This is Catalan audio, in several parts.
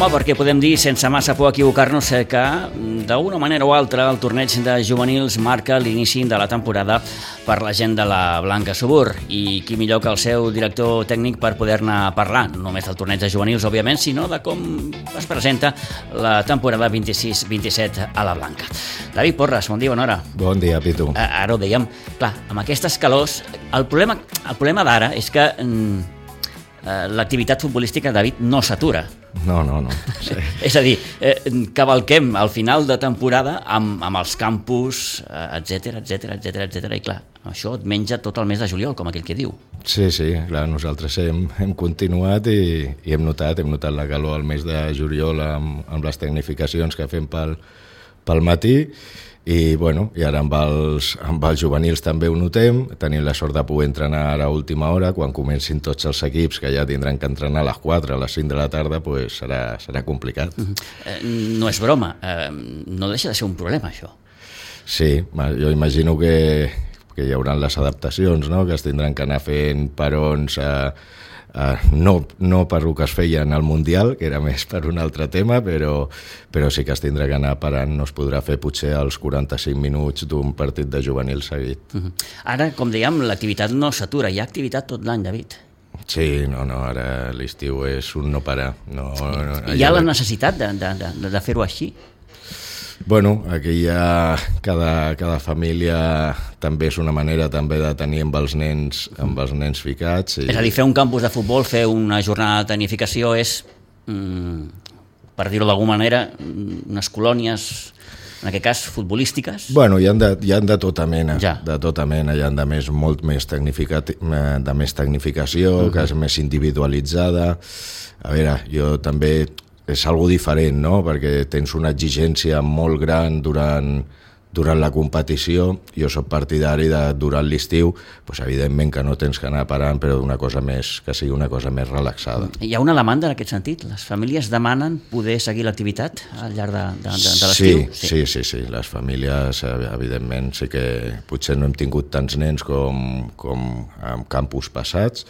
home, perquè podem dir sense massa por equivocar-nos que d'una manera o altra el torneig de juvenils marca l'inici de la temporada per la gent de la Blanca Subur, i qui millor que el seu director tècnic per poder-ne parlar, no només del torneig de juvenils, òbviament, sinó de com es presenta la temporada 26-27 a la Blanca. David Porras, bon dia, bona hora. Bon dia, Pitu. Ara ho dèiem, clar, amb aquestes calors, el problema d'ara és que l'activitat futbolística, David, no s'atura. No. Sí. És a dir, cavalquem al final de temporada amb els campus, etc, i clar, això et menja tot el mes de juliol, com aquell que diu. Sí, clar, nosaltres hem continuat i hem notat la calor al mes de juliol amb les tecnificacions que fem pel matí. I ara amb els juvenils també ho notem. Tenim la sort de poder entrenar ara a última hora, quan comencin tots els equips, que ja tindran que entrenar a les 4, a les 5 de la tarda, pues serà complicat. No és broma, no deixa de ser un problema, això. Sí, jo imagino que hi haurà les adaptacions, no? Que es tindran que anar fent perons no per el que es feia en el Mundial, que era més per un altre tema, però sí que es tindrà que anar parant, no es podrà fer potser els 45 minuts d'un partit de juvenil seguit. Ara, com dèiem, l'activitat no s'atura, hi ha activitat tot l'any, David. Sí, ara l'estiu és un no parar. Hi ha la necessitat de fer-ho així? Aquí ja cada família també és una manera també de tenir amb els nens ficats. És a dir, fer un campus de futbol, fer una jornada de tecnificació és, per dir-ho d'alguna manera, unes colònies, en aquest cas, futbolístiques? Hi ha de tota mena, ja. Hi ha de molt més tecnificació, que és més individualitzada. A veure, jo també... és algo diferent, no? Perquè tens una exigència molt gran durant la competició. Jo soc partidari de, durant l'estiu, evidentment que no tens que anar parant, però que sigui una cosa més relaxada. Hi ha una demanda en aquest sentit? Les famílies demanen poder seguir l'activitat al llarg de l'estiu? Sí. Les famílies, evidentment, sí que potser no hem tingut tants nens com en campus passats.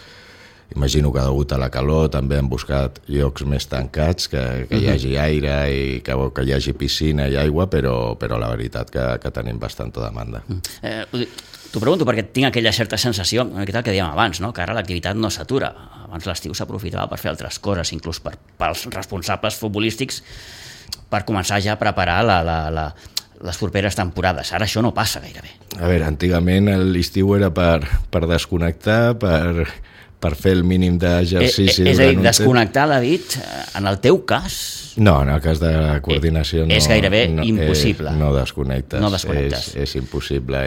Imagino que degut a la calor també han buscat llocs més tancats, que hi hagi aire i que hi hagi piscina i aigua, però la veritat que tenim bastanta demanda. T'ho pregunto perquè tinc aquella certa sensació, una miqueta el que dèiem abans, no? Que ara l'activitat no s'atura. Abans l'estiu s'aprofitava per fer altres coses, inclús pels responsables futbolístics, per començar ja a preparar les properes temporades. Ara això no passa gairebé. A veure, antigament l'estiu era per desconnectar, per fer el mínim d'exercici. És a dir, desconnectar, David, en el teu cas... No, en el cas de la coordinació no... És gairebé impossible. No desconnectes. No desconnectes. És impossible,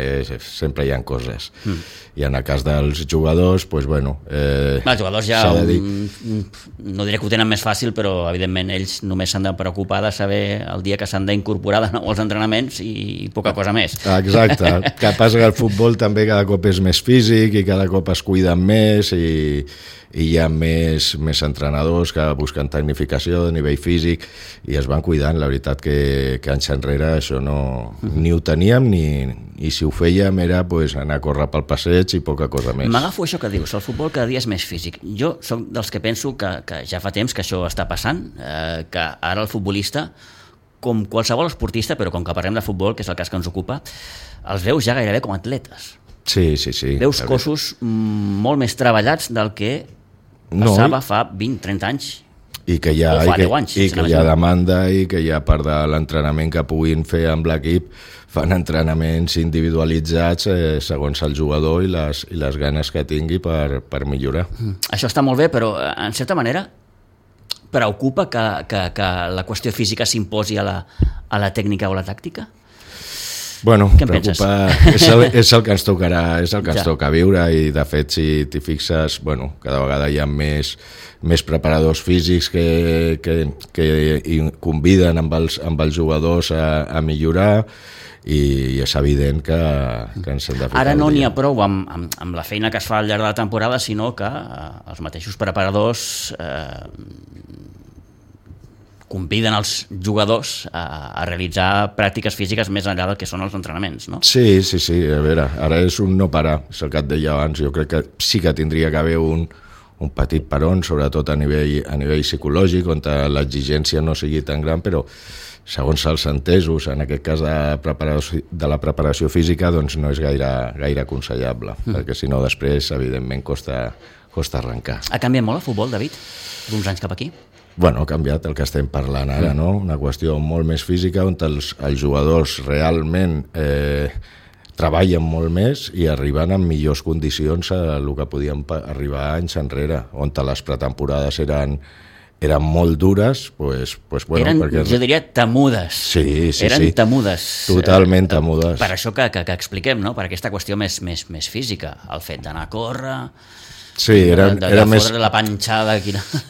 sempre hi ha coses. I en el cas dels jugadors, doncs, els jugadors ja no diré que ho tenen més fàcil, però evidentment ells només s'han de preocupar de saber el dia que s'han d'incorporar de nou als entrenaments i poca cosa més. Exacte. El que passa que el futbol també cada cop és més físic i cada cop es cuiden més i hi ha més entrenadors que busquen tecnificació de nivell físic i es van cuidant. La veritat que anys enrere això ni ho teníem i si ho fèiem era anar a córrer pel passeig i poca cosa més. M'agafo això que dius, el futbol cada dia és més físic. Jo soc dels que penso que ja fa temps que això està passant, que ara el futbolista, com qualsevol esportista, però com que parlem de futbol, que és el cas que ens ocupa, els veus ja gairebé com atletes. Sí. Veus cossos molt més treballats del que passava fa 20-30 anys. I que hi ha demanda i que hi ha part de l'entrenament que puguin fer amb l'equip, fan entrenaments individualitzats segons el jugador i les ganes que tingui per millorar. Això està molt bé, però en certa manera preocupa que la qüestió física s'imposi a la tècnica o la tàctica? Preocupa, és el que ens tocarà, és el que ens toca viure i de fet si t'hi fixes, cada vegada hi ha més preparadors físics que conviden amb els jugadors a millorar i és evident que ens hem de ficar. Ara no n'hi ha prou amb la feina que es fa al llarg de la temporada, sinó que els mateixos preparadors conviden els jugadors a realitzar pràctiques físiques més enllà del que són els entrenaments, no? Sí, a veure, ara és un no parar, és el que et deia abans, jo crec que sí que tindria que haver un petit peron, sobretot a nivell psicològic, on l'exigència no sigui tan gran, però segons els entesos, en aquest cas de la preparació física, doncs no és gaire aconsellable, perquè si no després, evidentment, costa arrencar. Ha canviat molt el futbol, David, d'uns anys cap aquí? Bueno, ha canviat el que estem parlant ara, no? Una qüestió molt més física, on els jugadors realment treballen molt més i arriben en millors condicions a el que podien arribar anys enrere, on les pretemporades eren molt dures, pues bueno... Eren, perquè... jo diria, temudes. Sí. Eren temudes. Totalment temudes. Per això que expliquem, no? Per aquesta qüestió més física, el fet d'anar a córrer... Sí, era més... la panxada...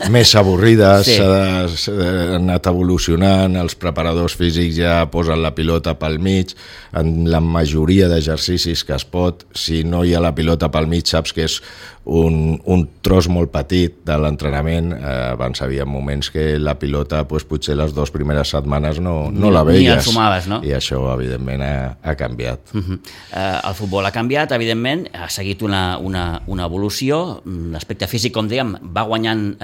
Més avorrides, sí. S'ha anat evolucionant, els preparadors físics ja posen la pilota pel mig, en la majoria d'exercicis que es pot, si no hi ha la pilota pel mig, saps que és un tros molt petit de l'entrenament. Abans hi havia moments que la pilota potser les 2 primeres setmanes no la veies. Ni ensumaves, no? I això, evidentment, ha canviat. El futbol ha canviat, evidentment, ha seguit una evolució. L'aspecte físic, com dèiem, va guanyant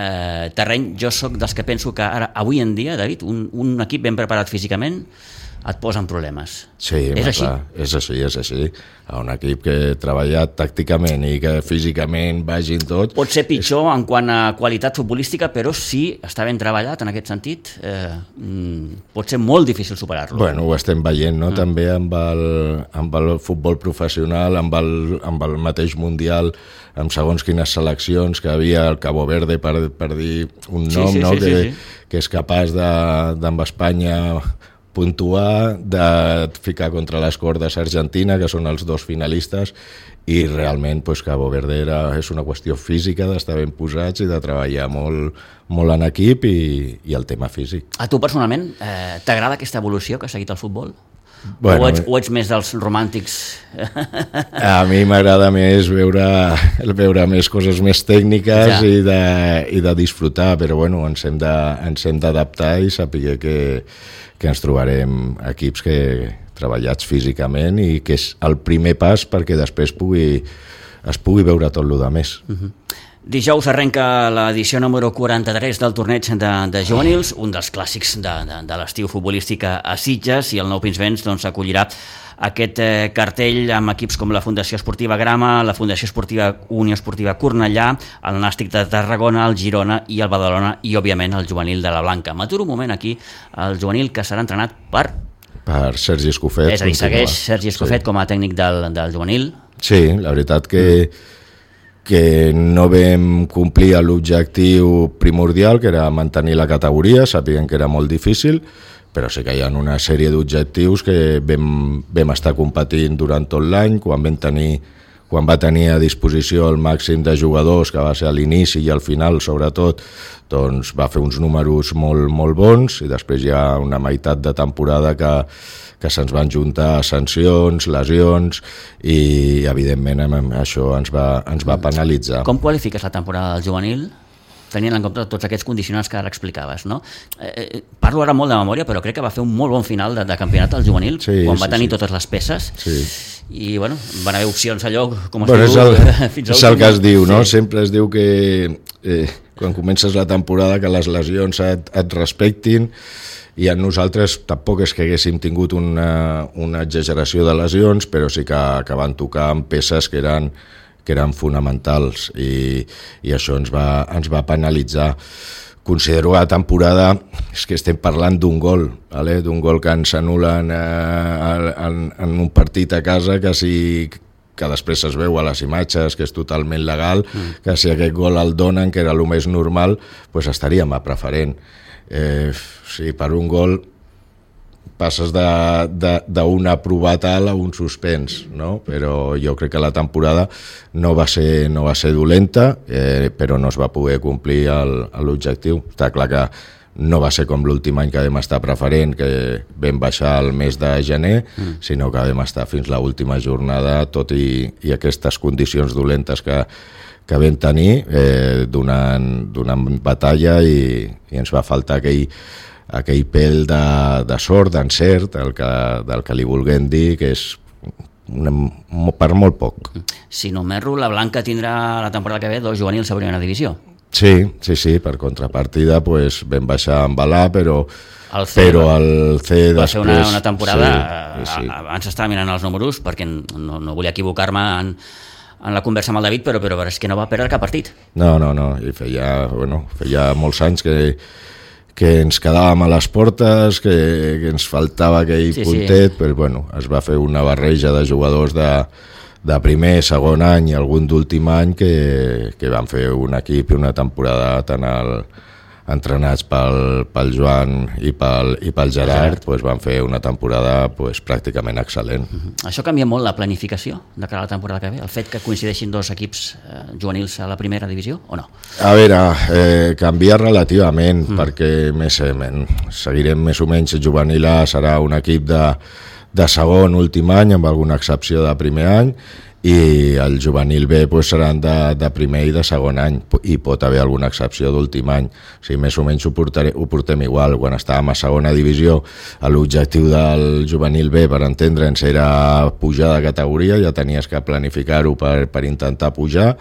terreny. Jo sóc dels que penso que ara, avui en dia, David, un equip ben preparat físicament et posa en problemes. Sí, és així? Clar, és així. Un equip que ha treballat tàcticament i que físicament vagin tot... Pot ser pitjor en quant a qualitat futbolística, però si està ben treballat en aquest sentit, pot ser molt difícil superar-lo. Bueno, ho estem veient, no? També amb el futbol professional, amb el mateix Mundial, amb segons quines seleccions que havia el Cabo Verde, per dir un nom, sí, no? Sí. Que és capaç d'amb Espanya puntuar, de ficar contra les cordes Argentina, que són els 2 finalistes, i realment Cabo Verde és una qüestió física, d'estar ben posats i de treballar molt en equip i el tema físic. A tu personalment t'agrada aquesta evolució que ha seguit el futbol? Bueno, o ets més dels romàntics? A mi m'agrada més veure més coses més tècniques i de disfrutar, però bueno, ens hem d'adaptar i saber que ens trobarem equips treballats físicament i que és el primer pas perquè després es pugui veure tot el més. Dijous arrenca l'edició número 43 del torneig de juvenils, un dels clàssics de l'estiu futbolístic a Sitges, i el Nou Pinsbens acollirà aquest cartell amb equips com la Fundació Esportiva Grama, la Fundació Esportiva Unió Esportiva Cornellà, el Nàstic de Tarragona, el Girona i el Badalona, i òbviament el juvenil de la Blanca. M'aturo un moment aquí, el juvenil que serà entrenat per Sergi Escofet. És a dir, segueix Sergi Escofet com a tècnic del juvenil? Sí, la veritat que no vam complir l'objectiu primordial, que era mantenir la categoria, sabien que era molt difícil, però sí que hi ha una sèrie d'objectius que vam estar competint durant tot l'any, quan va tenir a disposició el màxim de jugadors, que va ser a l'inici i al final, sobretot, doncs va fer uns números molt bons, i després hi ha una meitat de temporada que se'ns van juntar sancions, lesions, i evidentment això ens va penalitzar. Com qualifiques la temporada del juvenil? Tenint en compte tots aquests condicionants que ara explicaves, no? Parlo ara molt de memòria, però crec que va fer un molt bon final de campionat al juvenil, quan va tenir totes les peces, i bueno, van haver opcions allò, com es diu, fins és el que es diu, no? Sempre es diu que quan comences la temporada que les lesions et respectin, i a nosaltres tampoc és que haguéssim tingut una exageració de lesions, però sí que van tocar amb peces que eren fonamentals, i això ens va penalitzar. Considero la temporada, és que estem parlant d'un gol que ens anul·len en un partit a casa, que després es veu a les imatges, que és totalment legal, que si aquest gol el donen, que era el més normal, doncs estaríem a preferent. Si per un gol passes d'un aprovat a un suspens, no? Però jo crec que la temporada no va ser dolenta, però no es va poder complir l'objectiu. Està clar que no va ser com l'últim any que vam estar preferent, que vam baixar el mes de gener, sinó que vam estar fins l'última jornada, tot i aquestes condicions dolentes que vam tenir, donant batalla, i ens va faltar aquell pèl de sort, d'encert, del que li vulguem dir, que és per molt poc. Si no m'erro, la Blanca tindrà la temporada que ve 2 juvenils a primera divisió. Sí, per contrapartida pues, vam baixar amb Balà, però el C va després... ser una temporada... Sí. Abans estava mirant els números perquè no volia equivocar-me en la conversa amb el David, però és que no va perdre cap partit. No, i feia molts anys que ens quedàvem a les portes, que ens faltava aquell puntet, però es va fer una barreja de jugadors de primer, segon any i algun d'últim any que van fer un equip i una temporada tan entrenats pel Joan i pel Gerard, van fer una temporada pràcticament excel·lent. Això canvia molt la planificació de cara a la temporada que ve? El fet que coincideixin 2 equips juvenils a la primera divisió o no? A veure, canvia relativament perquè seguirem més o menys juvenil A, serà un equip de segon, últim any, amb alguna excepció de primer any, i el juvenil B seran de primer i de segon any, i pot haver alguna excepció d'últim any. O sigui, més o menys ho portem igual. Quan estàvem a segona divisió, l'objectiu del juvenil B, per entendre'ns, era pujar de categoria, ja tenies que planificar-ho per intentar pujar.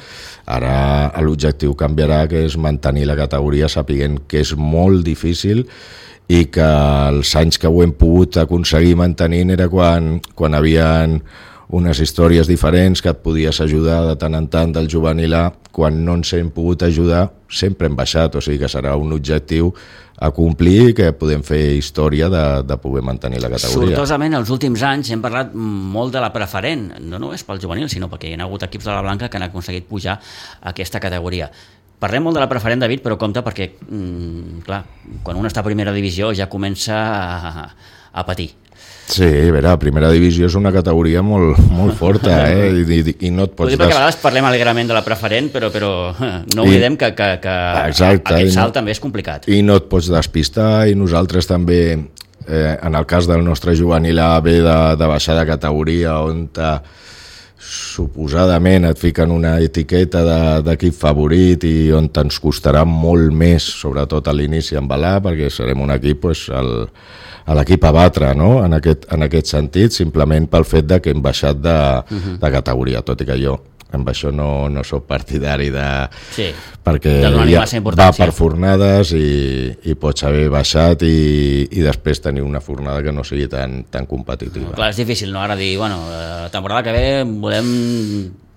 Ara l'objectiu canviarà, que és mantenir la categoria, sapiguent que és molt difícil i que els anys que ho hem pogut aconseguir mantenint era quan havien unes històries diferents que et podies ajudar de tant en tant del juvenil A. Quan no ens hem pogut ajudar sempre hem baixat, o sigui que serà un objectiu a complir i que podem fer història de poder mantenir la categoria. Sortosament, els últims anys hem parlat molt de la preferent, no només pel juvenil, sinó perquè hi ha hagut equips de la Blanca que han aconseguit pujar a aquesta categoria. Parlem molt de la preferent, David, però compte perquè, clar, quan un està a primera divisió ja comença a patir. Sí, a veure, primera divisió és una categoria molt forta, i no et pots... Perquè a vegades parlem alegrament de la preferent, però no oblidem que aquest salt també és complicat. I no et pots despistar, i nosaltres també, en el cas del nostre juvenil A, ve de baixar de categoria, on suposadament et fiquen una etiqueta d'equip favorit i on ens costarà molt més, sobretot a l'inici amb Balà, perquè serem un equip a l'equip a batre, no? En aquest sentit, simplement pel fet que hem baixat de categoria, tot i que jo amb això no soc partidari perquè va per fornades i pots haver baixat i després tenir una fornada que no sigui tan competitiva. Clar, és difícil, no? Ara dir, la temporada que ve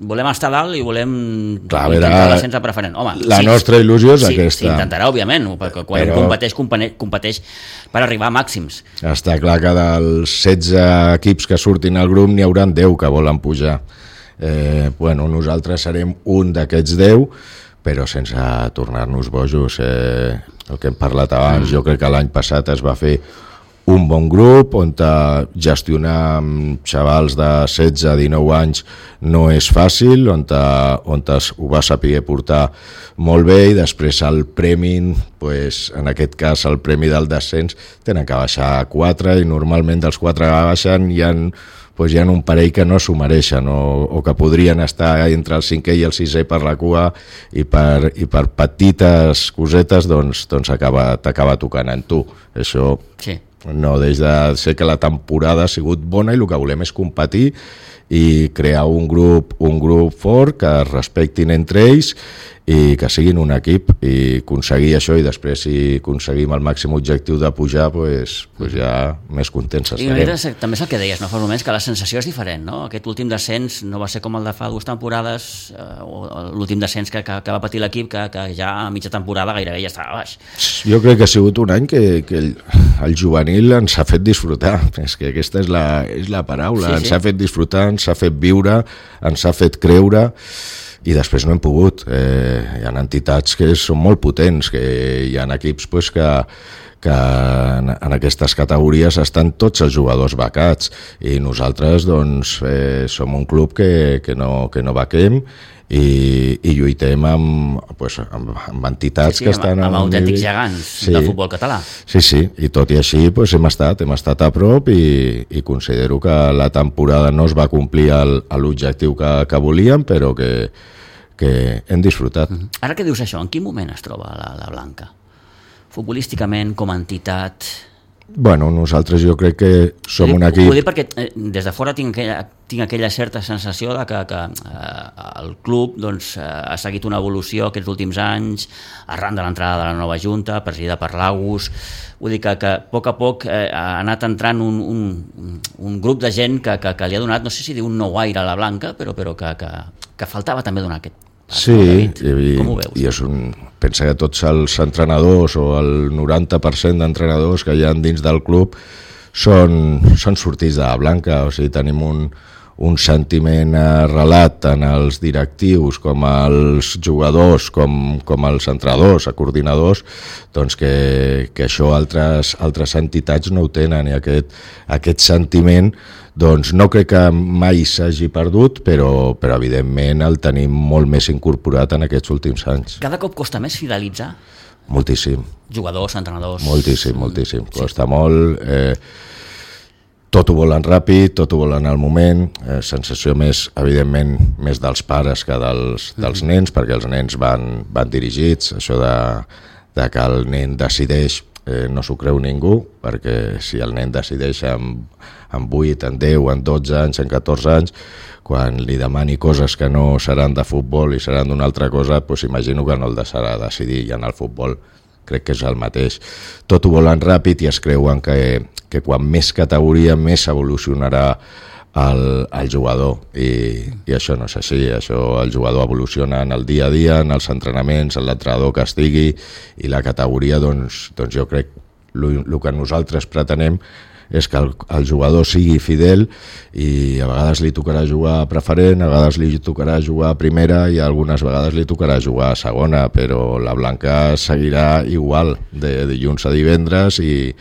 volem estar dalt i volem intentar l'ascens a preferent. Home, la nostra il·lusió és aquesta. S'intentarà, òbviament, perquè quan competeix per arribar a màxims. Està clar que dels 16 equips que surtin al grup n'hi haurà 10 que volen pujar. Nosaltres serem un d'aquests 10, però sense tornar-nos bojos. El que hem parlat abans, jo crec que l'any passat es va fer un bon grup on gestionar amb xavals de 16-19 anys no és fàcil, on ho va saber portar molt bé, i després el premi, en aquest cas el premi del descens, tenen que baixar 4, i normalment dels 4 que baixen hi ha un parell que no s'ho mereixen o que podrien estar entre el 5è i el 6è per la cua, i per petites cosetes t'acaba tocant en tu. Això no deixa de ser que la temporada ha sigut bona i el que volem és competir i crear un grup fort, que es respectin entre ells i que siguin un equip, i aconseguir això, i després si aconseguim el màxim objectiu de pujar, ja més contents estarem. I també és el que deies, no? Fa uns moments que la sensació és diferent, no? Aquest últim descens no va ser com el de fa 2 temporades, l'últim descens que va patir l'equip, que ja a mitja temporada gairebé ja estava baix. Jo crec que ha sigut un any que el juvenil ens ha fet disfrutar, és que aquesta és la paraula, ens ha fet disfrutar, ens ha fet viure, ens ha fet creure, i després no hem pogut. Hi ha entitats que són molt potents, que hi ha equips que en aquestes categories estan tots els jugadors becats, i nosaltres som un club que no bequem i lluitem amb entitats que estan amb autèntics gegants del futbol català. Sí, i tot i així hem estat a prop, i considero que la temporada no es va complir l'objectiu que volíem, però que hem disfrutat. Ara que dius això, en quin moment es troba la Blanca? Futbolísticament, com a entitat, Bueno, nosaltres jo crec que som un equip... Ho dic perquè des de fora tinc aquella certa sensació de que el club doncs, ha seguit una evolució aquests últims anys, arran de l'entrada de la nova junta, presidida per l'Agus. Vull dir que a poc ha anat entrant un grup de gent que li ha donat, no sé si dir un nou aire a la Blanca, però que faltava també donar aquest. Sí, i pensa que tots els entrenadors o el 90% d'entrenadors que hi ha dins del club són sortits de la Blanca, o sigui, tenim un sentiment arrelat tant als directius com als jugadors com als entrenadors, a coordinadors, doncs que això altres entitats no ho tenen, i aquest sentiment doncs no crec que mai s'hagi perdut, però evidentment el tenim molt més incorporat en aquests últims anys. Cada cop costa més fidelitzar? Moltíssim. Jugadors, entrenadors... Moltíssim. Costa molt. Tot ho volen ràpid, tot ho volen al moment. Sensació més, evidentment, més dels pares que dels nens, perquè els nens van dirigits. Això de que el nen decideix no s'ho creu ningú, perquè si el nen decideix en 8, en 10, en 12 anys, en 14 anys, quan li demani coses que no seran de futbol i seran d'una altra cosa, doncs imagino que no el deixarà decidir, i en el futbol crec que és el mateix. Tot ho volen ràpid i es creuen que quan més categoria més evolucionarà el jugador, i això no és així. El jugador evoluciona en el dia a dia, en els entrenaments, en l'entrenador que estigui, i la categoria, doncs jo crec el que nosaltres pretenem és que el jugador sigui fidel, i a vegades li tocarà jugar a preferent, a vegades li tocarà jugar a primera i algunes vegades li tocarà jugar a segona, però la Blanca seguirà igual de dilluns a divendres i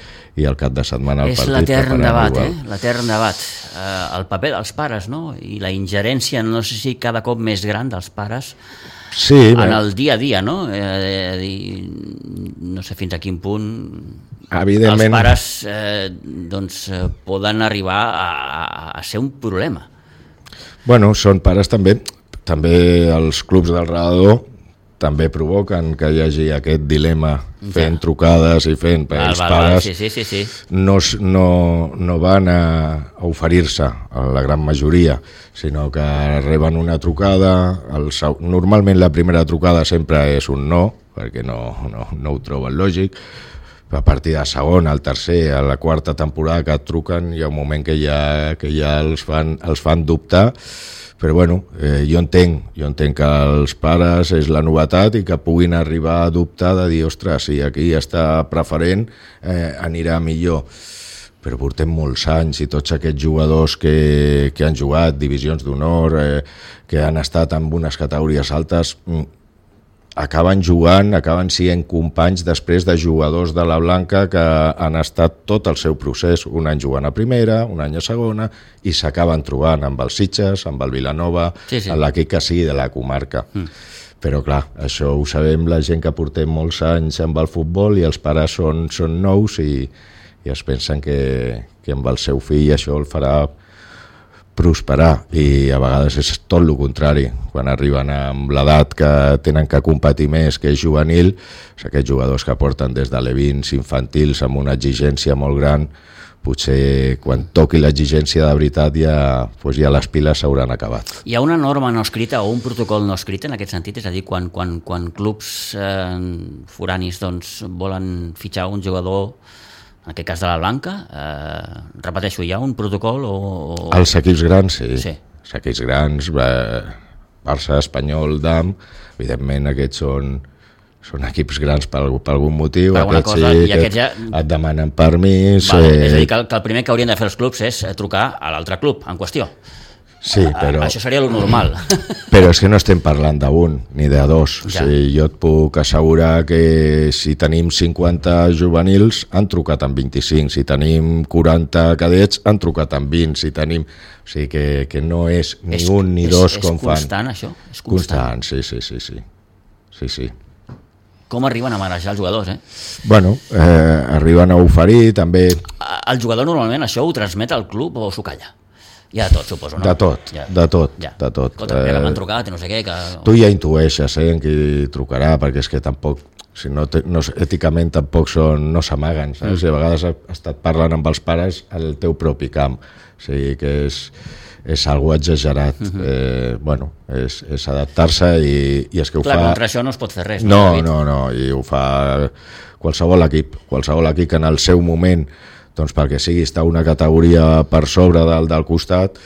el cap de setmana al partit. És l'etern debat, l'etern debat. El paper dels pares, no? I la ingerència, no sé si cada cop més gran dels pares en el dia a dia, no? No sé fins a quin punt els pares poden arribar a ser un problema. Bueno, són pares també els clubs del redador també provoquen que hi hagi aquest dilema fent trucades i fent, perquè els pares no van a oferir-se a la gran majoria, sinó que reben una trucada. Normalment la primera trucada sempre és un no, perquè no ho troben lògic. A partir de la segona, al tercer, a la quarta temporada que et truquen, hi ha un moment que ja els fan dubtar. Però bueno, jo entenc que els pares és la novetat i que puguin arribar a dubtar de dir, ostres, si aquí està preferent, anirà millor. Però portem molts anys, i tots aquests jugadors que han jugat divisions d'honor, que han estat en unes categories altes, acaben sent companys després de jugadors de la Blanca que han estat tot el seu procés, un any jugant a primera, un any a segona, i s'acaben trobant amb els Sitges, amb el Vilanova, en l'equip que sigui de la comarca. Però clar, això ho sabem la gent que portem molts anys amb el futbol, i els pares són nous i es pensen que amb el seu fill això el farà prosperar, i a vegades és tot el contrari. Quan arriben amb l'edat que tenen que competir més, que és juvenil, aquests jugadors que porten des de l'E20 infantils amb una exigència molt gran, potser quan toqui l'exigència de veritat ja les piles s'hauran acabat. Hi ha una norma no escrita o un protocol no escrit en aquest sentit? És a dir, quan clubs foranis volen fitxar un jugador, en aquest cas de la Blanca, repeteixo, hi ha un protocol o... Els equips grans, sí. Els equips grans, Barça, Espanyol, DAM, evidentment aquests són equips grans per algun motiu, aquests et demanen permís... És a dir, que el primer que haurien de fer els clubs és trucar a l'altre club en qüestió. Sí, però... Això seria el normal. Però és que no estem parlant d'un ni de dos. Ja. O sigui, jo et puc assegurar que si tenim 50 juvenils, han trucat amb 25. Si tenim 40 cadets, han trucat amb 20. Si tenim... O sigui, que no és ni un ni dos com fan. És constant, això? És constant, sí. Com arriben a marejar els jugadors, Bueno, arriben a oferir, també... El jugador normalment això ho transmet al club o s'ho calla? Hi ha de tot, suposo, no? De tot. Escolta, que m'han trucat i no sé què... Tu ja intueixes en qui trucarà, perquè és que tampoc, si no, èticament tampoc no s'amaguen, saps? I a vegades has estat parlant amb els pares al teu propi camp, o sigui que és algo exagerat. Bueno, és adaptar-se i és que ho Clar, fa... contra això no es pot fer res. No, i ho fa qualsevol equip que en el seu moment, doncs perquè sigui estar una categoria per sobre del costat,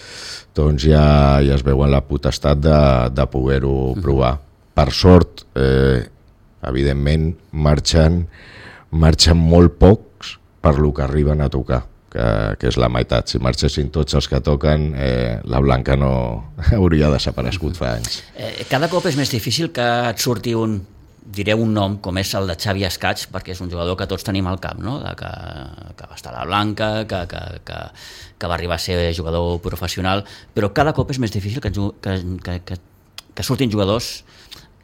doncs ja es veuen la potestat de poder-ho provar. Per sort, evidentment, marxen molt pocs per lo que arriben a tocar, que és la meitat. Si marxessin tots els que toquen, la Blanca no hauria desaparegut fa anys. Cada cop és més difícil que et surti diré un nom, com és el de Xavi Escaig, perquè és un jugador que tots tenim al cap, no? Que va estar a la Blanca, que va arribar a ser jugador professional, però cada cop és més difícil que surtin jugadors,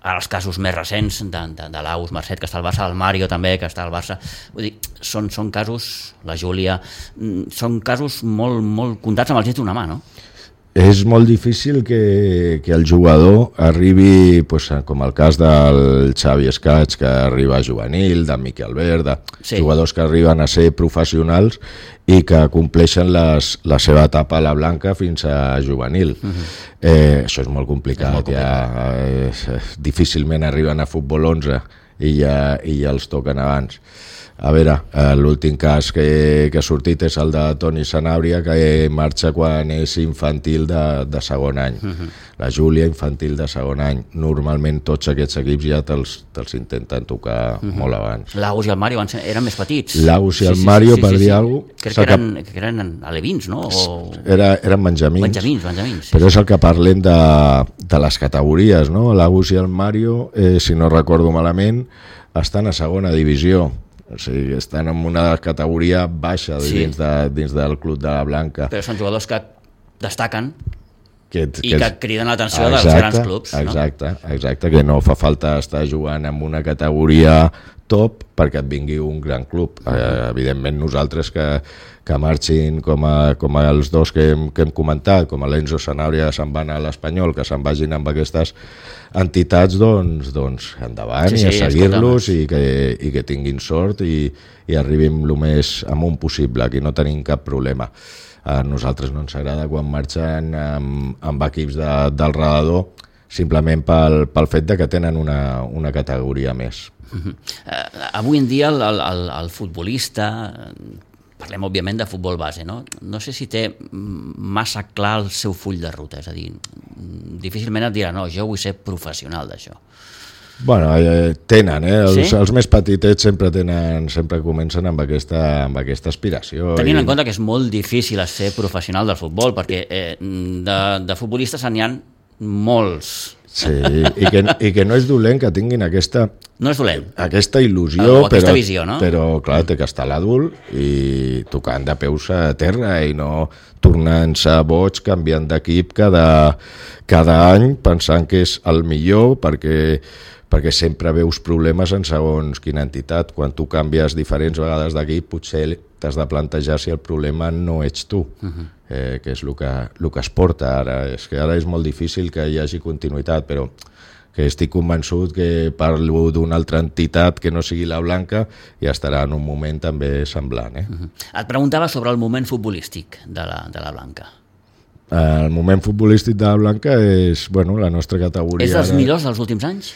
ara els casos més recents de l'Aus Marcet, que està al Barça, el Mario també, que està al Barça, vull dir, són casos, la Júlia, són casos molt, molt comptats amb els dits d'una mà, no? És molt difícil que el jugador arribi, com el cas del Xavi Escaig, que arriba a juvenil, de Miquel Albert, jugadors que arriben a ser professionals i que compleixen la seva etapa a la Blanca fins a juvenil. Això és molt complicat. Difícilment arriben a futbol 11 i ja els toquen abans. A veure, l'últim cas que ha sortit és el de Toni Sanabria, que marxa quan és infantil de segon any. La Júlia, infantil de segon any. Normalment tots aquests equips ja te'ls intenten tocar molt abans. L'Aus i el Mario eren més petits. L'Aus i el Mario, per dir alguna cosa... Crec que eren alevins, no? Eren benjamins. Benjamins. Però és el que parlem de les categories, no? L'Aus i el Mario, si no recordo malament, estan a segona divisió. O sigui, estan en una categoria baixa dins del club de la Blanca. Però són jugadors que destaquen que criden l'atenció dels grans clubs. Exacte, que no fa falta estar jugant en una categoria top perquè et vingui un gran club. Evidentment nosaltres que marxin com els dos que hem comentat, com l'Enzo Sanabria se'n van a l'Espanyol, que se'n vagin amb aquestes entitats, doncs endavant i a seguir-los i que tinguin sort i arribin el més amunt possible, aquí no tenim cap problema. A nosaltres no ens agrada quan marxen amb equips del redador, simplement pel fet que tenen una categoria més. Avui en dia el futbolista, parlem òbviament de futbol base, no? No sé si té massa clar el seu full de ruta, és a dir, difícilment et dirà, no, jo vull ser professional d'això. Bueno, tenen, els més petitets sempre comencen amb aquesta aspiració. Tenint en compte que és molt difícil ser professional del futbol, perquè de futbolistes n'hi ha molts. Sí, i que no és dolent que tinguin aquesta il·lusió, aquesta visió, no? Però clar, té que estar l'adult i tocant de peus a terra i no tornant-se boig, canviant d'equip cada any, pensant que és el millor, perquè sempre veus problemes en segons quina entitat. Quan tu canvies diferents vegades d'equip, potser t'has de plantejar si el problema no ets tu, que és el que es porta ara. És que ara és molt difícil que hi hagi continuïtat, però que estic convençut que parlo d'una altra entitat que no sigui la Blanca i estarà en un moment també semblant. Et preguntava sobre el moment futbolístic de la Blanca. El moment futbolístic de la Blanca és la nostra categoria. És dels millors dels últims anys?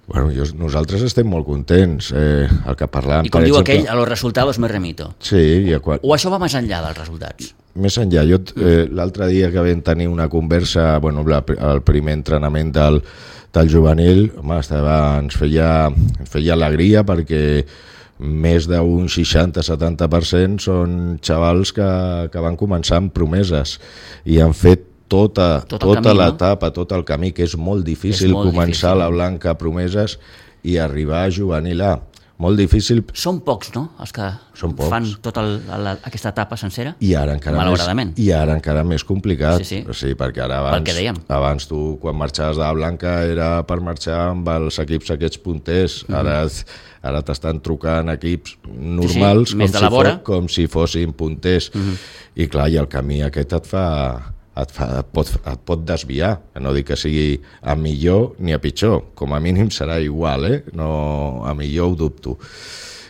Nosaltres estem molt contents. El que parlàvem, I com diu aquell, a los resultados me remito. Sí. O això va més enllà dels resultats? Més enllà. Jo l'altre dia que vam tenir una conversa, el primer entrenament del juvenil, ens feia alegria perquè més d'un 60-70% són xavals que van començar amb promeses i han fet tota l'etapa, tot el camí, que és molt difícil començar a la Blanca promeses i arribar a juvenil A. Molt difícil. Són pocs, no?, els que fan tota aquesta etapa sencera? I ara encara més complicat. Sí. Sí, perquè ara abans tu, quan marxaves de la Blanca, era per marxar amb els equips aquests punters. Ara t'estan trucant equips normals com si fossin punters. I clar, i el camí aquest et et pot desviar, no dic que sigui a millor ni a pitjor, com a mínim serà igual, no, a millor ho dubto.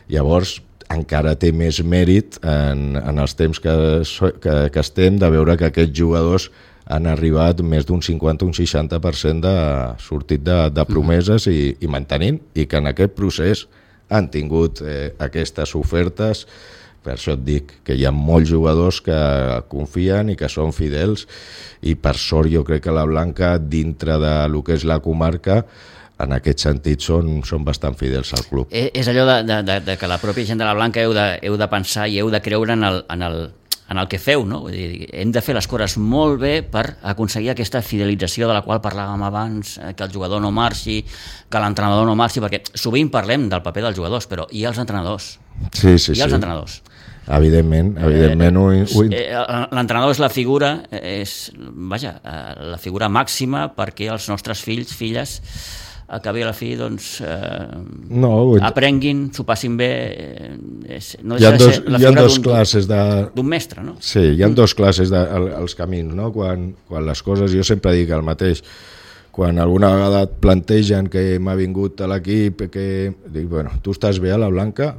Llavors encara té més mèrit en els temps que estem de veure que aquests jugadors han arribat més d'un 50 o un 60% sortit de promeses i mantenint, i que en aquest procés han tingut aquestes ofertes. Per això et dic que hi ha molts jugadors que confien i que són fidels, i per sort jo crec que la Blanca, dintre de lo que és la comarca, en aquest sentit són bastant fidels al club. És allò de que la pròpia gent de la Blanca heu de pensar i heu de creure en el que feu, no? Vull dir, hem de fer les coses molt bé per aconseguir aquesta fidelització de la qual parlàvem abans, que el jugador no marxi, que l'entrenador no marxi, perquè sovint parlem del paper dels jugadors, però hi ha els entrenadors. Sí. Els entrenadors. Evidentment. L'entrenador és la figura, la figura màxima perquè els nostres fills, filles, al cap i a la fi, aprenguin, s'ho passin bé. No hi ha dos classes d'un mestre, no? Sí, hi ha dos classes als camins, no? Quan les coses, jo sempre dic el mateix, quan alguna vegada et plantegen que m'ha vingut a l'equip, que dic, bueno, tu estàs bé a la Blanca?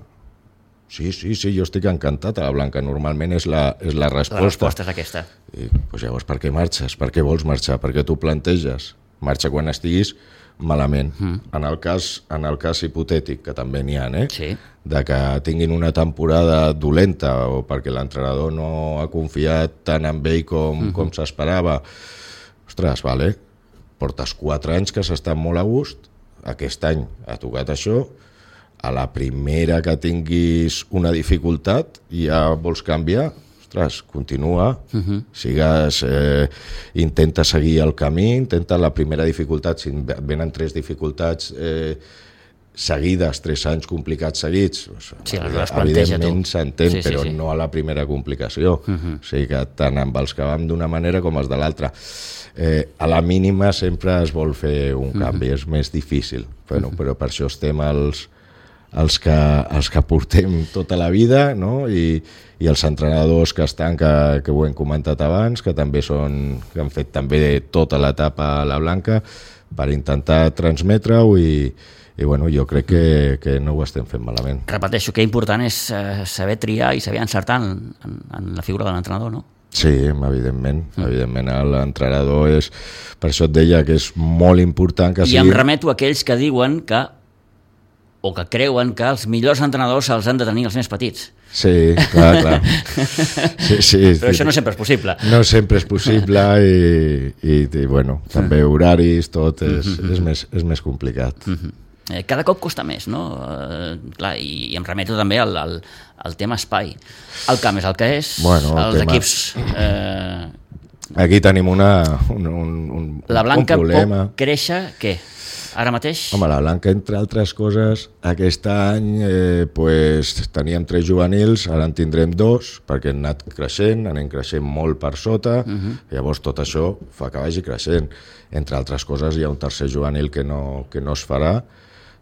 Sí, jo estic encantat a la Blanca, normalment és la resposta. La resposta és aquesta. I, doncs llavors, per què marxes? Per què vols marxar? Per què tu planteges? Marxa quan estiguis malament. En el cas hipotètic, que també n'hi ha, sí, de que tinguin una temporada dolenta o perquè l'entrenador no ha confiat tant en ell com s'esperava, ostres, vale, portes 4 anys que s'està molt a gust, aquest any ha tocat això, a la primera que tinguis una dificultat i ja vols canviar, ostres, continua, intenta seguir el camí, intenta la primera dificultat, si et venen 3 dificultats seguides, 3 anys complicats seguits, evidentment s'entén, però no a la primera complicació, o sigui que tant amb els que vam d'una manera com els de l'altra. A la mínima sempre es vol fer un canvi, és més difícil, però per això estem els que portem tota la vida, no? I els entrenadors que estan, que ho hem comentat abans, que també que han fet també tota l'etapa a la Blanca per intentar transmetre-ho, i bueno, jo crec que no ho estem fent malament. Repeteixo, que important és saber triar i saber encertar en la figura de l'entrenador, no? Sí, evidentment, l'entrenador és... Per això et deia que és molt important que sigui... I em remeto a aquells que diuen que o que creuen que els millors entrenadors els han de tenir els més petits. Sí, clar. Sí, però això no sempre és possible. No sempre és possible i bueno, també horaris, tot és més complicat. Cada cop costa més, no? Clar, i em remeto també al tema espai. El camp és el que és, els equips... Aquí tenim un La Blanca problema. Pot créixer, què? Ara mateix? Home, la Blanca, entre altres coses, aquest any teníem 3 juvenils, ara en tindrem 2, perquè han anat creixent, anem creixent molt per sota, llavors tot això fa que vagi creixent. Entre altres coses, hi ha un tercer juvenil que no es farà,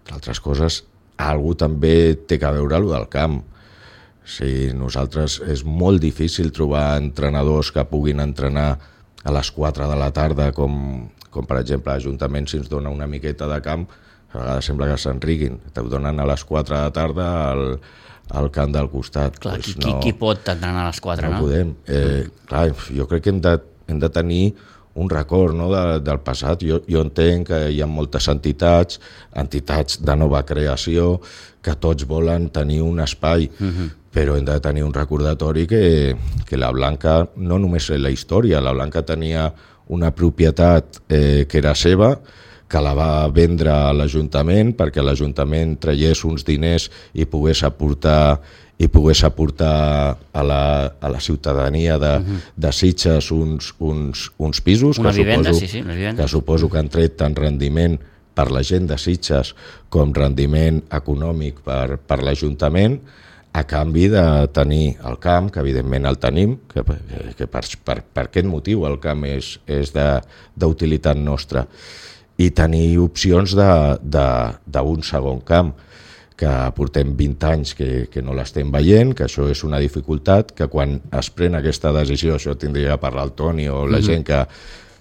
entre altres coses, algú també té que veure allò del camp. Sí, nosaltres és molt difícil trobar entrenadors que puguin entrenar a les 4 de la tarda, com per exemple l'Ajuntament, si ens dona una miqueta de camp, a vegades sembla que s'enriguin, te donen a les 4 de la tarda al camp del costat. Clar, qui pot entrenar a les 4, no? No podem. Clar, jo crec que hem de tenir un record, no, del passat. Jo entenc que hi ha moltes entitats de nova creació, que tots volen tenir un espai, però hem de tenir un recordatori que la Blanca no només és la història, la Blanca tenia una propietat que era seva, que la va vendre a l'Ajuntament perquè l'Ajuntament traiés uns diners i pogués aportar a la ciutadania de Sitges uns pisos, una vivenda, una vivenda. Que suposo que han tret tant rendiment per la gent de Sitges com rendiment econòmic per l'Ajuntament, a canvi de tenir el camp, que evidentment el tenim, que per aquest motiu el camp és d'utilitat nostra, i tenir opcions d'un segon camp, que portem 20 anys que no l'estem veient, que això és una dificultat, que quan es pren aquesta decisió, això tindria que parlar el Toni o la gent que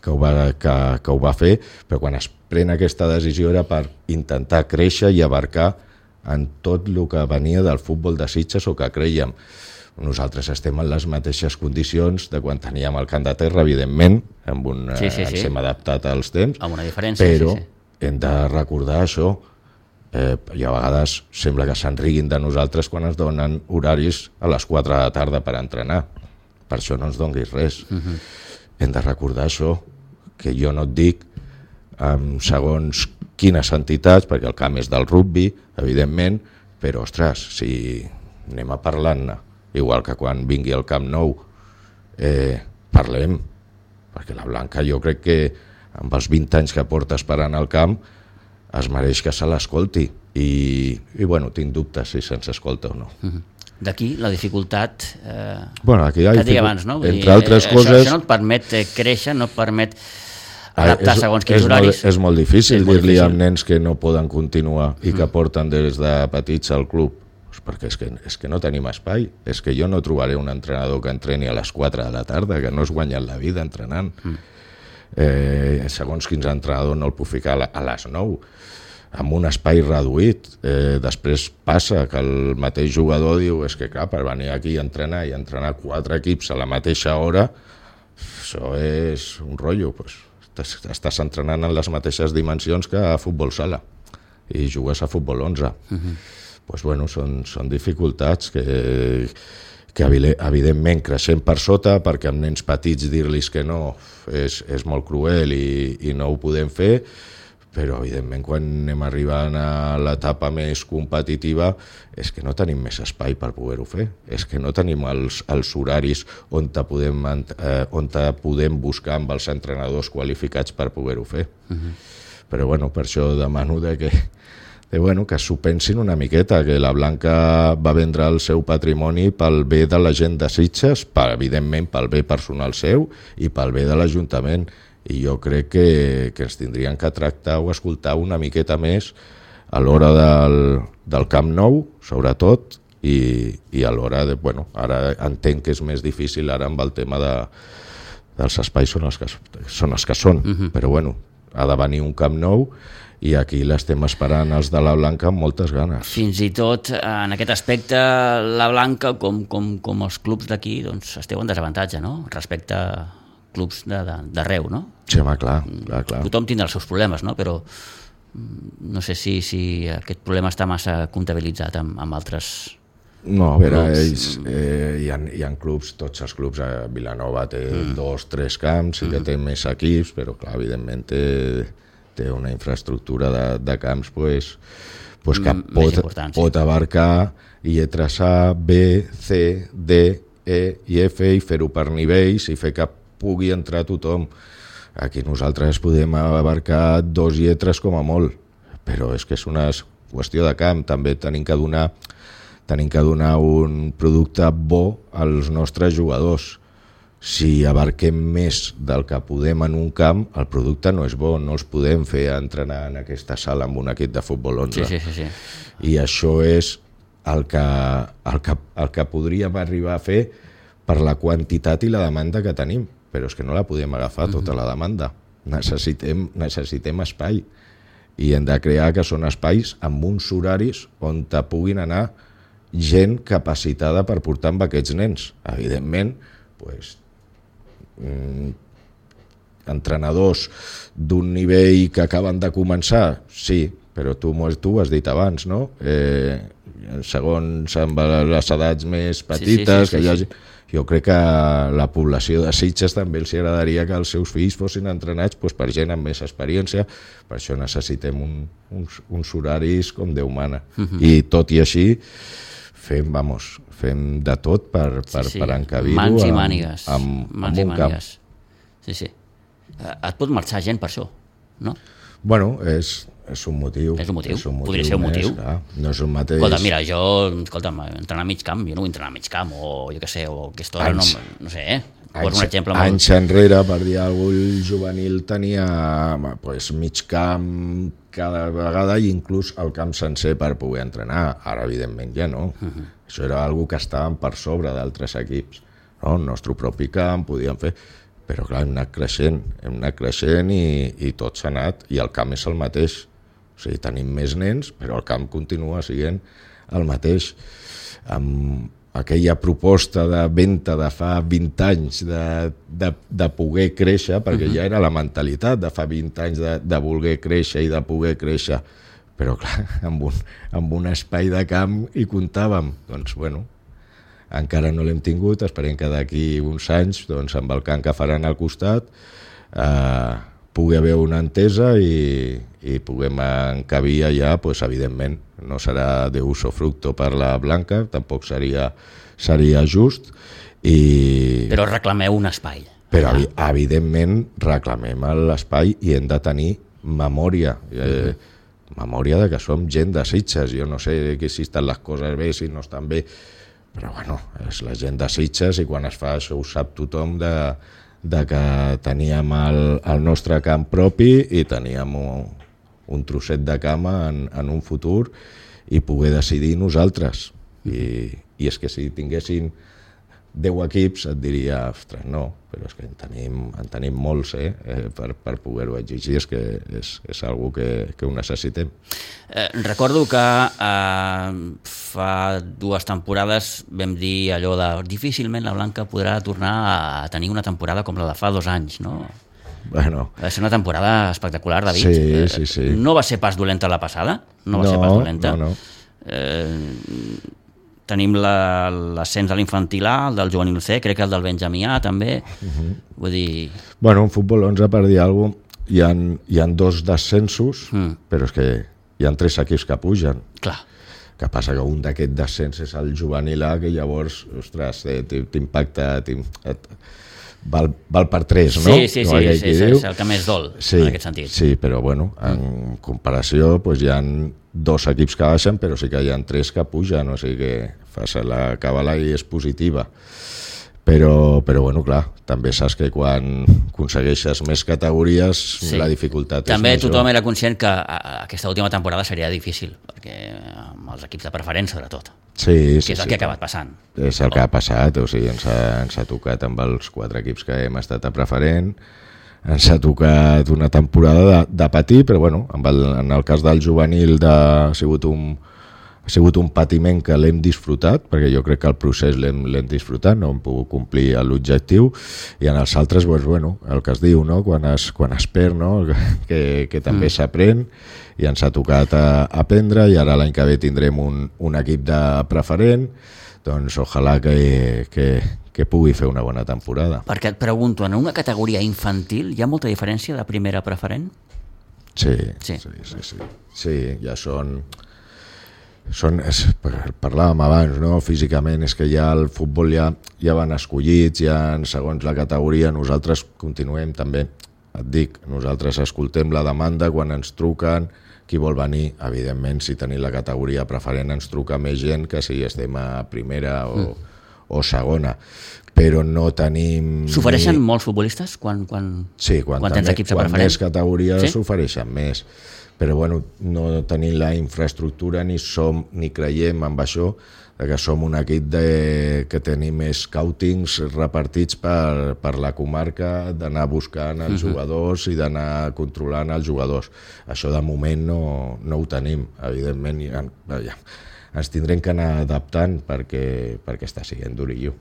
ho va fer, però quan es pren aquesta decisió era per intentar créixer i abarcar en tot el que venia del futbol de Sitges o que creiem. Nosaltres estem en les mateixes condicions de quan teníem el Camp de Terra, evidentment, ens hem adaptat als temps, amb una diferència, però hem de recordar això, i a vegades sembla que s'enriguin de nosaltres quan ens donen horaris a les 4 de la tarda per entrenar. Per això no ens donguis res. Hem de recordar això, que jo no et dic segons quines entitats, perquè el camp és del rugby, evidentment, però, ostres, si anem a parlar-ne, igual que quan vingui al Camp Nou, parlem, perquè la Blanca jo crec que amb els 20 anys que porta esperant al camp es mereix que se l'escolti i bueno, tinc dubtes si se'ns escolta o no. D'aquí la dificultat aquí que et deia abans, no? Entre altres coses... Això no et permet créixer, no et permet adaptar segons quins horaris. És molt difícil dir-li a nens que no poden continuar i que porten des de petits al club, perquè és que no tenim espai, és que jo no trobaré un entrenador que entreni a les 4 de la tarda, que no es guanya la vida entrenant. Segons quins entrenadors no el puc ficar a les 9, amb un espai reduït. Després passa que el mateix jugador diu és que clar, per venir aquí a entrenar i entrenar 4 equips a la mateixa hora, això és un rotllo. Estàs entrenant en les mateixes dimensions que a futbol sala i jugues a futbol 11. Són dificultats que evidentment creixem per sota, perquè amb nens petits dir-los que no és molt cruel i no ho podem fer, però evidentment quan anem arribant a l'etapa més competitiva és que no tenim més espai per poder-ho fer, és que no tenim els horaris on podem buscar amb els entrenadors qualificats per poder-ho fer. Però per això demano que s'ho pensin una miqueta, que la Blanca va vendre el seu patrimoni pel bé de la gent de Sitges, evidentment pel bé personal seu i pel bé de l'Ajuntament. I jo crec que ens tindrien que tractar o escoltar una miqueta més a l'hora del Camp Nou, sobretot, i a l'hora de... Ara entenc que és més difícil ara amb el tema dels espais són els que són, però ha de venir un Camp Nou i aquí l'estem esperant els de la Blanca amb moltes ganes. Fins i tot en aquest aspecte la Blanca, com els clubs d'aquí, doncs esteu en desavantatge, no? Respecte a clubs d'arreu, no? Sí, home, clar. Tothom tindrà els seus problemes, no? Però no sé si aquest problema està massa comptabilitzat amb altres... No, a veure, hi ha clubs, tots els clubs, Vilanova té 2-3 camps, sí que té més equips, però clar, evidentment té una infraestructura de camps que pot abarcar lletres A, B, C, D, E i F i fer-ho per nivells i fer que pugui entrar tothom. Aquí nosaltres podem abarcar 2 lletres com a molt, però és que és una qüestió de camp. També tenim que donar un producte bo als nostres jugadors. Si abarquem més del que podem en un camp, el producte no és bo, no els podem fer entrenar en aquesta sala amb un equip de futbol 11. Sí. I això és el que podríem arribar a fer per la quantitat i la demanda que tenim, però és que no la podem agafar tota la demanda. Necessitem espai i hem de crear que són espais amb uns horaris on te puguin anar gent capacitada per portar amb aquests nens. Evidentment, entrenadors d'un nivell que acaben de començar, sí, però tu ho has dit abans, no? Segons amb les edats més petites, que hi hagi... Jo crec que a la població de Sitges també els agradaria que els seus fills fossin entrenats per gent amb més experiència. Per això necessitem uns horaris com Déu mana. I tot i així fem de tot per encabir-ho mans i mànigues. amb un camp. Sí. Et pot marxar gent per això, no? Bueno, és És un motiu. Podria ser un motiu. Clar. No és un mateix... Escolta'm, entrenar a mig camp, jo no vull entrenar a mig camp, o jo què sé, o aquesta hora, no sé, un exemple molt... Anys enrere, per dir alguna cosa, el juvenil tenia mig camp cada vegada i inclús el camp sencer per poder entrenar. Ara, evidentment, ja no. Això era una cosa que estàvem per sobre d'altres equips. No? El nostre propi camp podíem fer... Però clar, hem anat creixent i tot s'ha anat, i el camp és el mateix. O sigui, tenim més nens, però el camp continua sent el mateix. Amb aquella proposta de venda de fa 20 anys de poder créixer, perquè ja era la mentalitat de fa 20 anys de voler créixer i de poder créixer, però clar, amb un espai de camp hi comptàvem. Doncs bueno, encara no l'hem tingut, esperem que d'aquí uns anys, doncs, amb el camp que faran al costat, pugui haver una entesa i puguem encabir allà, doncs, evidentment, no serà de uso fructo per la Blanca, tampoc seria just. Però reclameu un espai. Però, evidentment, reclamem l'espai i hem de tenir memòria. Memòria de que som gent de Sitges. Jo no sé si estan les coses bé, si no estan bé, però bueno, és la gent de Sitges i quan es fa això ho sap tothom de que teníem el nostre camp propi i teníem un trosset de camp en un futur i poder decidir nosaltres. I és que si tinguessin 10 equips et diria, ostres, no, però és que en tenim molts per poder-ho exigir, és que és algo que ho necessitem. Recordo que fa 2 temporades vam dir allò de difícilment la Blanca podrà tornar a tenir una temporada com la de fa 2 anys, no? Bueno. Va ser una temporada espectacular, David. Sí. No va ser pas dolenta la passada? No va ser pas dolenta? No. Tenim l'ascens de l'infantil A, el del juvenil C, crec que el del Benjamí A també. Vull dir... Bueno, en futbol 11, per dir alguna cosa, hi ha 2 descensos, però és que hi ha 3 equips que pugen. Clar. Que passa que un d'aquest descens és el juvenil A, que llavors, ostres, t'impacta... Val per 3, no? Sí, és el que més dol, en aquest sentit. Sí, però bueno, en comparació hi ha 2 equips que baixen, però sí que hi ha 3 que pugen, o sigui que fas la cabala i és positiva. Però bueno, clar, també saps que quan aconsegueixes més categories la dificultat és també major. També tothom era conscient que aquesta última temporada seria difícil, perquè amb els equips de preferent, sobretot. Sí, que és el que ha acabat passant. És el que ha passat, o sigui, ens ha tocat amb els 4 equips que hem estat a preferent, ens ha tocat una temporada de patir, però bueno, en el cas del juvenil ha sigut un patiment que l'hem disfrutat, perquè jo crec que el procés l'hem disfrutat, no hem pogut complir l'objectiu, i en els altres, bueno, el que es diu, no? quan es perd, no? que també s'aprèn, i ens ha tocat aprendre, i ara l'any que ve tindrem un equip de preferent, doncs ojalà que pugui fer una bona temporada. Perquè et pregunto, en una categoria infantil hi ha molta diferència de primera a preferent? Sí, ja són parlàvem abans, no? Físicament és que ja el futbol ja van escollits, ja segons la categoria. Nosaltres continuem també, et dic, nosaltres escoltem la demanda quan ens truquen, qui vol venir. Evidentment, si tenim la categoria preferent ens truca més gent que si estem a primera o segona, però no tenim... S'ofereixen molts futbolistes quan tens equips a preferent? Quan més categories s'ofereixen més. Però bueno, no tenim la infraestructura ni creiem en això, que som un equip que tenim scoutings repartits per la comarca, d'anar buscant els jugadors i d'anar controlant els jugadors. Això de moment no ho tenim, evidentment, ens tindrem que anar adaptant perquè està sent durillo.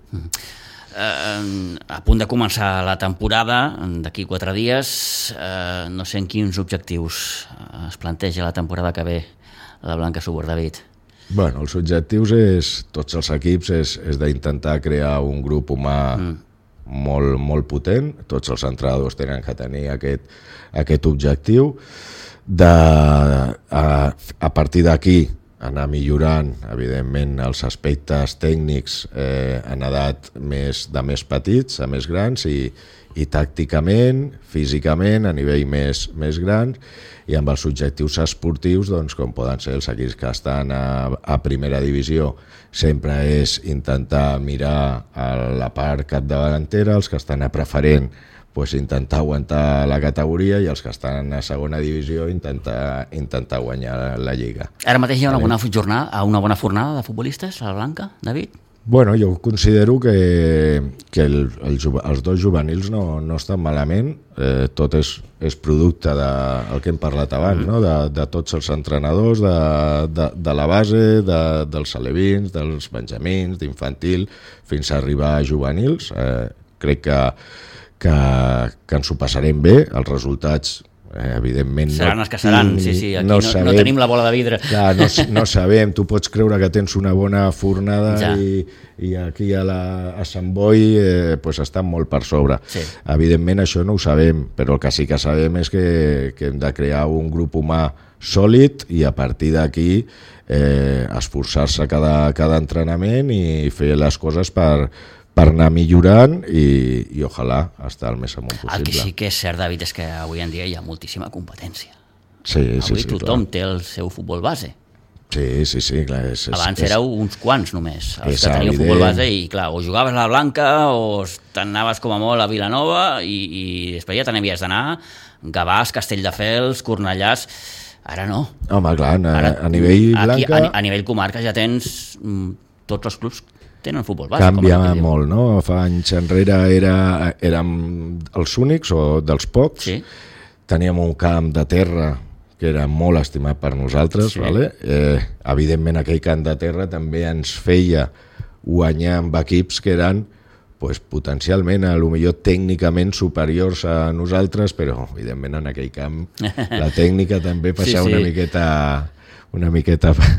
A punt de començar la temporada, d'aquí 4 dies, no sé en quins objectius es planteja la temporada que ve la Blanca Subur, David. Bueno, els objectius tots els equips és d'intentar crear un grup humà molt potent. Tots els entrenadors tenen que tenir aquest objectiu. A partir d'aquí anar millorant, evidentment, els aspectes tècnics en edat de més petits a més grans i tàcticament, físicament, a nivell més gran, i amb els objectius esportius, doncs, com poden ser els equips que estan a primera divisió, sempre és intentar mirar a la part capdavantera, els que estan a preferent, pues intentar aguantar la categoria, i els que estan a segona divisió intentar guanyar la Lliga. Ara mateix hi ha una bona fornada de futbolistes a la Blanca, David? Bueno, jo considero que els dos juvenils no estan malament. Tot és producte del que hem parlat abans, no? De tots els entrenadors, de la base, dels alevins, dels benjamins, d'infantil, fins a arribar a juvenils. Crec que ens ho passarem bé. Els resultats, evidentment, seran els que seran, sí, aquí no tenim la bola de vidre. Clar, no sabem, tu pots creure que tens una bona fornada i aquí a Sant Boi pues estan molt per sobre. Sí. Evidentment això no ho sabem, però el que sí que sabem és que hem de crear un grup humà sòlid i a partir d'aquí esforçar-se cada entrenament i fer les coses per anar millorant i ojalà estar el més amunt possible. El que sí que és cert, David, és que avui en dia hi ha moltíssima competència. Sí, avui tothom clar. té el seu futbol base. Sí, clar. Abans éreu uns quants només, els que teníeu futbol base, i clar, o jugaves a la Blanca o t'anaves com a molt a Vilanova i després ja te n'havies d'anar Gavàs, Castelldefels, Cornellàs. Ara no. Home, clar, a nivell Blanca... A nivell comarca ja tens tots els clubs tenen futbol base. Canvia molt, no? Fa anys enrere érem els únics o dels pocs. Sí. Teníem un camp de terra que era molt estimat per nosaltres. Sí. Vale? Evidentment aquell camp de terra també ens feia guanyar amb equips que eren pues, potencialment, potser tècnicament superiors a nosaltres, però evidentment en aquell camp la tècnica també passava una miqueta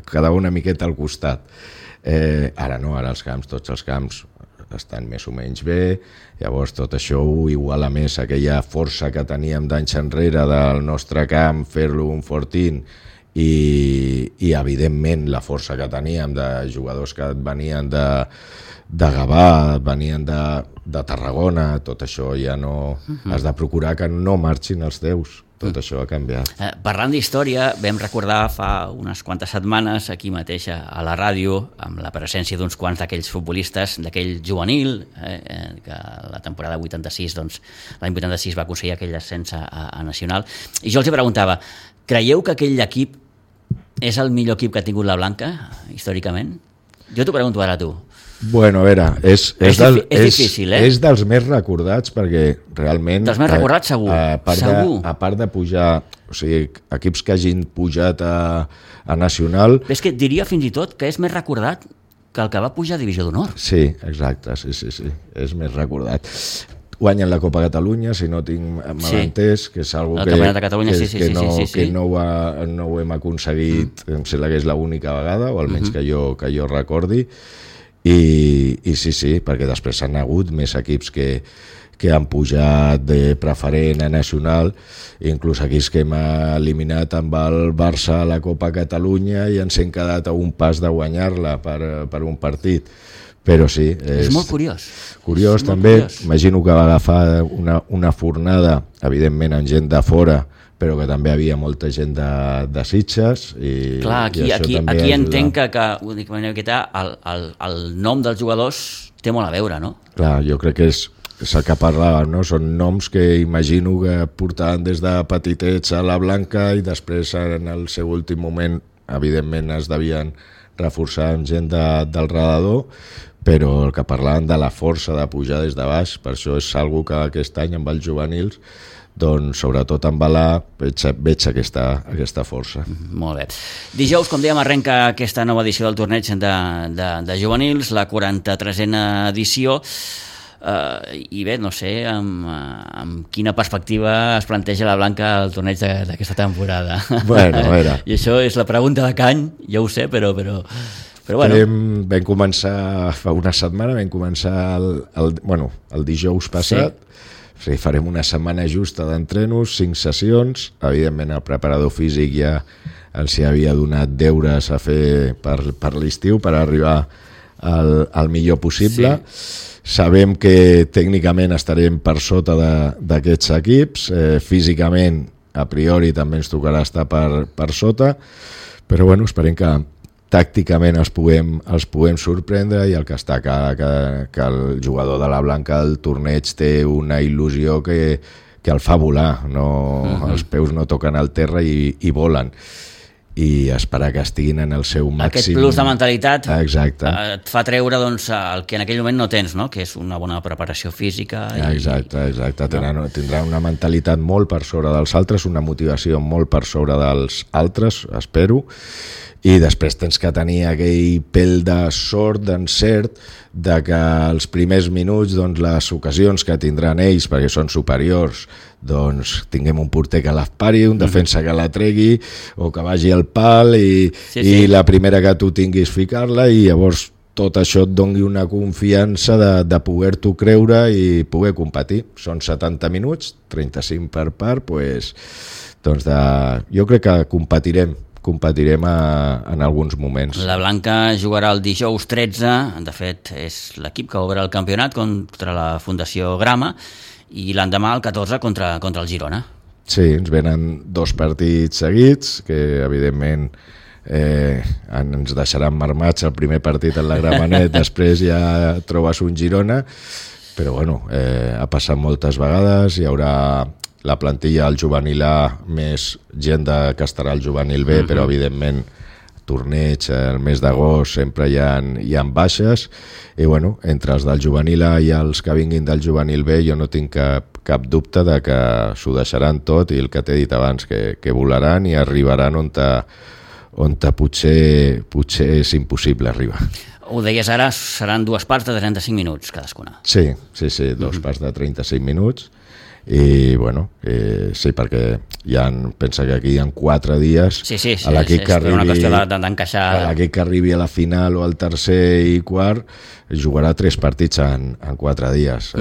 quedava una miqueta al costat. Ara no, ara tots els camps estan més o menys bé, llavors tot això ho iguala més, aquella força que teníem d'anys enrere del nostre camp, fer-lo un fortín i evidentment la força que teníem de jugadors que venien de Gavà, venien de Tarragona, tot això ja no... Has de procurar que no marxin els teus. Tot això ha canviat. Parlant d'història, vam recordar fa unes quantes setmanes aquí mateix a la ràdio, amb la presència d'uns quants d'aquells futbolistes, d'aquell juvenil, que la temporada 86, doncs, l'any 86 va aconseguir aquell ascens a Nacional. I jo els preguntava, creieu que aquell equip és el millor equip que ha tingut la Blanca, històricament? Jo t'ho pregunto ara a tu. Bueno, a veure, és difícil, és dels més recordats perquè realment... Dels més recordats, segur. A part de pujar, o sigui, equips que hagin pujat a Nacional... És que diria fins i tot que és més recordat que el que va pujar a Divisió d'Honor. Sí, exacte, sí, és més recordat. Guanyen la Copa Catalunya, si no tinc mal entès, que és una cosa que no ho hem aconseguit, em sembla que és l'única vegada, o almenys que jo recordi. I sí, perquè després han hagut més equips que han pujat de preferent a Nacional, inclús equips que hem eliminat amb el Barça a la Copa Catalunya i ens hem quedat a un pas de guanyar-la per un partit. Però sí, és molt curiós. Curiós també, imagino que va agafar una fornada, evidentment amb gent de fora, però que també havia molta gent de Sitges. Clar, aquí entenc que el nom dels jugadors té molt a veure, no? Clar, jo crec que és el que parlava, no? Són noms que imagino que portaven des de petitets a la Blanca i després en el seu últim moment evidentment es devien reforçar amb gent del redador, però el que parlaven de la força de pujar des de baix, per això és algo que aquest any amb els juvenils doncs sobretot en Balà veig aquesta força. Molt bé. Dijous, com dèiem, arrenca aquesta nova edició del torneig de juvenils, la 43a edició, i bé, no sé amb quina perspectiva es planteja la Blanca el torneig d'aquesta temporada. Bueno, a veure. I això és la pregunta de cany, ja ho sé, però bueno. Vam començar fa una setmana, vam començar el dijous passat, farem una setmana justa d'entrenos, 5 sessions, evidentment el preparador físic ja els hi havia donat deures a fer per l'estiu per arribar al millor possible. Sabem que tècnicament estarem per sota d'aquests equips, físicament a priori també ens tocarà estar per sota, però bueno, esperem que tàcticament els puguem sorprendre, i el que està que el jugador de la Blanca del torneig té una il·lusió que el fa volar, els peus no toquen al terra i volen, i esperar que estiguin en el seu màxim. Aquest plus de mentalitat et fa treure el que en aquell moment no tens, no? Que és una bona preparació física. Exacte. Tindrà una mentalitat molt per sobre dels altres, una motivació molt per sobre dels altres, espero, i després tens que tenir aquell pèl de sort, d'encert, de que els primers minuts, les ocasions que tindran ells, perquè són superiors, tinguem un porter que l'espari, un defensa que la tregui, o que vagi al pal, i la primera que tu tinguis ficar-la, i llavors tot això et doni una confiança de poder-t'ho creure i poder competir. Són 70 minuts, 35 per part, jo crec que competirem en alguns moments. La Blanca jugarà el dijous 13, de fet és l'equip que obre el campionat contra la Fundació Grama, i l'endemà el 14 contra el Girona. Sí, ens venen 2 partits seguits, que evidentment ens deixaran marmats el primer partit en la Gramenet, després ja trobes un Girona, però bueno, ha passat moltes vegades, hi haurà la plantilla al juvenil A, més gent que estarà al juvenil B, però evidentment torneig, el mes d'agost sempre hi ha baixes, i bueno, entre els del juvenil A i els que vinguin del juvenil B jo no tinc cap dubte de que s'ho deixaran tot, i el que t'he dit abans, que volaran i arribaran on potser és impossible arribar. Ho deies ara, seran 2 parts de 35 minuts cadascuna. Sí, 2 parts de 35 minuts, i bueno, sí, perquè pensa que aquí hi ha 4 dies, a l'equip que arribi a la final o al tercer i quart jugarà 3 partits en 4 dies.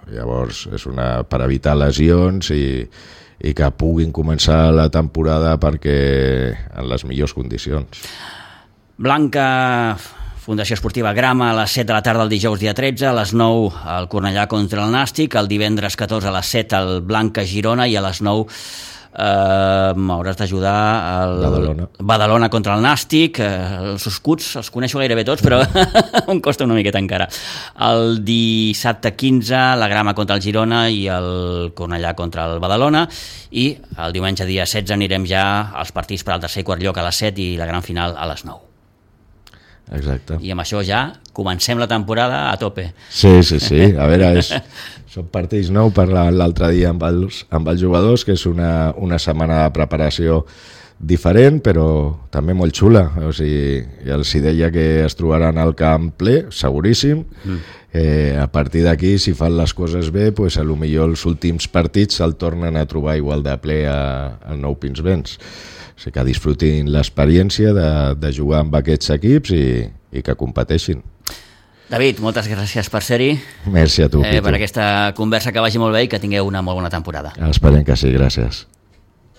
Llavors és per evitar lesions i que puguin començar la temporada perquè en les millors condicions. Blanca, Fundació Esportiva Grama, a les 7 de la tarda el dijous dia 13, a les 9 el Cornellà contra el Nàstic, el divendres 14 a les 7 el Blanca Girona, i a les 9 m'hauràs d'ajudar el Badalona contra el Nàstic. Els escuts els coneixo gairebé tots, però em costa una miqueta encara. El dissabte 15 la Grama contra el Girona i el Cornellà contra el Badalona, i el diumenge dia 16 anirem ja als partits per al tercer i quart lloc a les 7 i la gran final a les 9. Exacte. I amb això ja comencem la temporada a tope. Sí. A veure, són partits nous, parlàvem l'altre dia amb els jugadors, que és una setmana de preparació diferent, però també molt xula. O sigui, ja els deia que es trobaran al camp ple, seguríssim. A partir d'aquí, si fan les coses bé, potser els últims partits se'l tornen a trobar igual de ple al Nou Pinsbens. O sigui, que disfrutin l'experiència de jugar amb aquests equips i que competeixin. David, moltes gràcies per ser-hi. Merci a tu, Pitu. Per aquesta conversa, que vagi molt bé i que tingueu una molt bona temporada. Esperem que sí, gràcies.